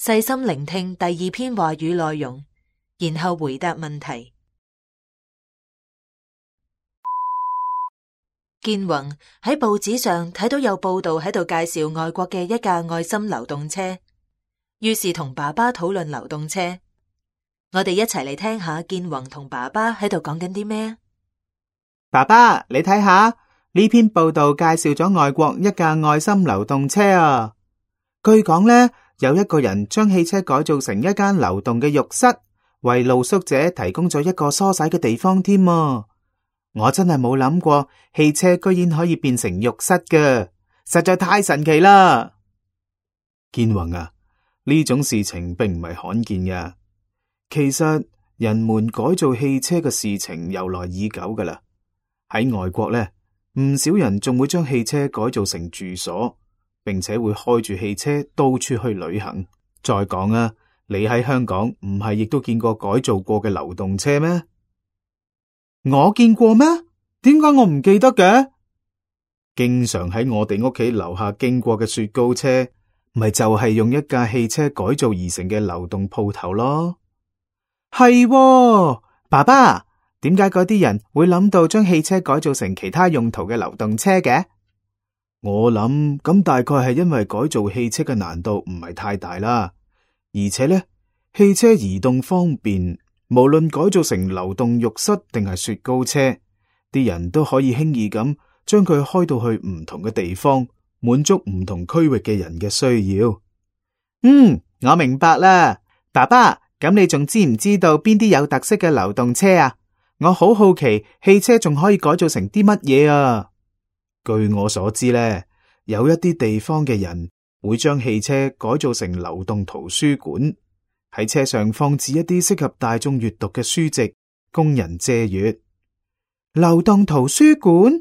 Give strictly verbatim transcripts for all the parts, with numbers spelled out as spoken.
細心聆聽第二篇話語內容，然後回答問題。建宏喺報紙上睇到有報道喺度介紹外國嘅一架愛心流動車，於是同爸爸討論流動車。我哋一齊嚟聽下建宏同爸爸喺度講緊啲咩啊？爸爸，你睇下呢篇報道介紹咗外國一架愛心流動車啊。據講呢，有一個人將汽車改造成一間流動嘅浴室，為露宿者提供咗一個梳洗嘅地方添啊。我真係冇諗過汽車居然可以變成浴室嘅，實在太神奇啦！建宏啊，呢種事情並唔係罕見嘅。其實人們改造汽車嘅事情由來已久噶啦。喺外國呢，唔少人仲會將汽車改造成住所，並且會開住汽車到處去旅行。再講啊，你喺香港唔係亦都見過改造過嘅流動車咩？我見過咩？點解我唔記得嘅？經常喺我哋屋企樓下經過嘅雪糕車，咪就係用一架汽車改造而成嘅流動鋪頭咯。係喎，爸爸，點解嗰啲人會諗到將汽車改造成其他用途嘅流動車嘅？我諗咁大概係因為改造汽車嘅難度唔係太大啦，而且呢，汽車移動方便。無論改造成流動浴室定係雪糕車，啲人都可以輕易咁將佢開到去唔同嘅地方，滿足唔同區域嘅人嘅需要。嗯，我明白啦，爸爸，咁你仲知唔知道邊啲有特色嘅流動車啊？我好好奇，汽車仲可以改造成啲乜嘢啊？據我所知呢，有一啲地方嘅人會將汽車改造成流動圖書館。喺車上放置一啲適合大眾閱讀嘅書籍，供人借閱。流動圖書館，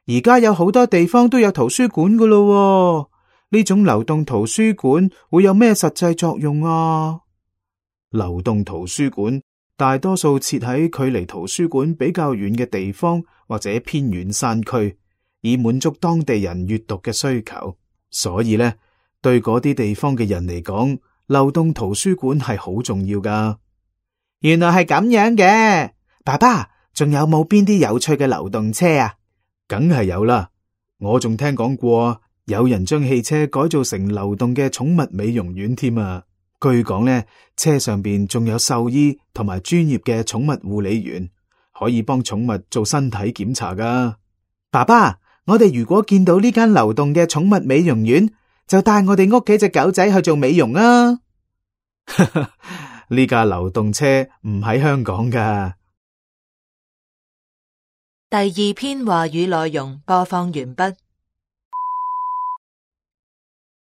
而家有好多地方都有圖書館噶咯。呢種流動圖書館會有咩實際作用啊？流動圖書館大多數設喺距離圖書館比較遠嘅地方或者偏遠山區，以滿足當地人閱讀嘅需求。所以呢，對嗰啲地方嘅人嚟講，流動圖書館係好重要噶。原來係咁樣嘅，爸爸，仲有冇邊啲有趣嘅流動車啊？梗係有啦，我仲聽講過有人將汽車改造成流動嘅寵物美容院添啊。據講呢，車上邊仲有獸醫同埋專業嘅寵物護理員，可以幫寵物做身體檢查噶。爸爸，我哋如果見到呢間流動嘅寵物美容院，就帶我哋屋企隻狗仔去做美容啊！呢架流動車唔喺香港噶。第二篇話語內容播放完畢。